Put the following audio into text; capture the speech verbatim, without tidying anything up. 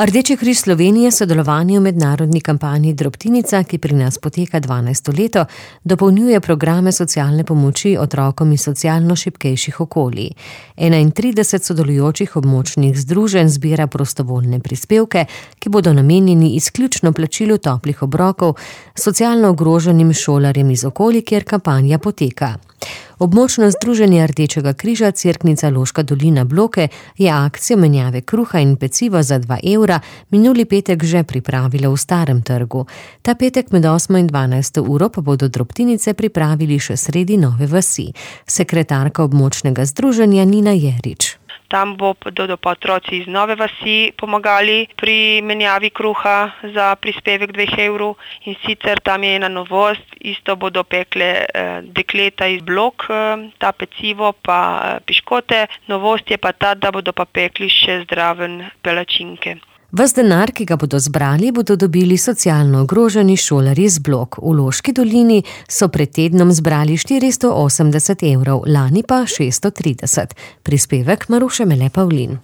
Rdeči križ Slovenije sodelovanje v mednarodni kampanji Drobtinica, ki pri nas poteka dvanajsto leto, dopolnjuje programe socialne pomoči otrokom iz socialno šibkejših okolij. enaintrideset sodelujočih območnih združenj zbira prostovoljne prispevke, ki bodo namenjeni izključno plačilu toplih obrokov socialno ogroženim šolarjem iz okolij, kjer kampanja poteka. Območno združenje Rdečega križa Cerknica Loška dolina Bloke je akcijo menjave kruha in peciva za dva evra minuli petek že pripravilo v Starem trgu. Ta petek med osmo in dvanajsto uro pa bodo drobtinice pripravili še sredi Nove vasi. Sekretarka območnega združenja Nina Jerič. Tam bodo pa otroci iz Nove vasi pomagali pri menjavi kruha za prispevek dveh evrov in sicer tam je ena novost, isto bodo pekle eh, dekleta iz Blok, eh, ta pecivo pa eh, piškote. Novost je pa ta, da bodo pa pekli še zdraven palačinke. Ves denar, ki ga bodo zbrali, bodo dobili socialno ogroženi šolarji iz Blok. V Loški dolini so pred tednom zbrali štiristo osemdeset evrov, lani pa šeststo trideset. Prispevek Maruše Mele Pavlin.